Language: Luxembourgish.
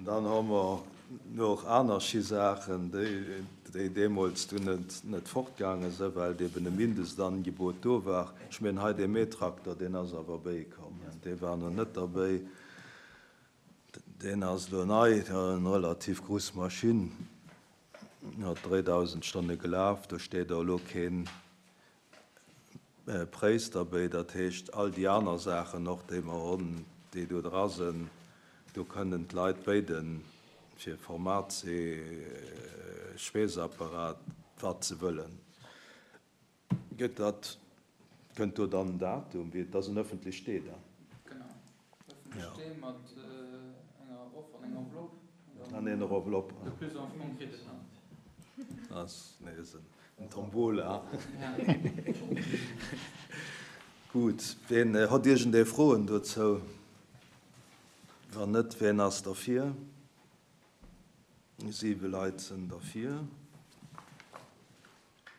Dann hu mer och aner Schisaachen, déi deemools dunn net fortgaange sinn, well eben e Mindestangebot do war. Ech mengen hei dee Mähtrakter, deen ass awer bäikomm, dee war nach net derbäi. Deen ass elo nei, eng relativ grouss Maschinn, huet 3.000 Stonne gelaf, do steet och elo keen Préis derbéi. Dat heescht, all déi aner Saachen och, déi mer hunn, déi do dra sinn, do kënnen d'Leit béiden, fir Format C, Schweessapparat, wat se wëllen. Gëtt dat, kënnt do dann en Datum, wéi, et ass en ëffentlech Stee dann? Genau, ëffentlech Stee mat enger Offer an enger Enveloppe. An enger Enveloppe. De plus en franc kritt et dann. Ass nees en Tombola. Gutt, ween hott iergendee Froen dozou? Wann net, ween ass derfir? 7 Leit sënn derfir.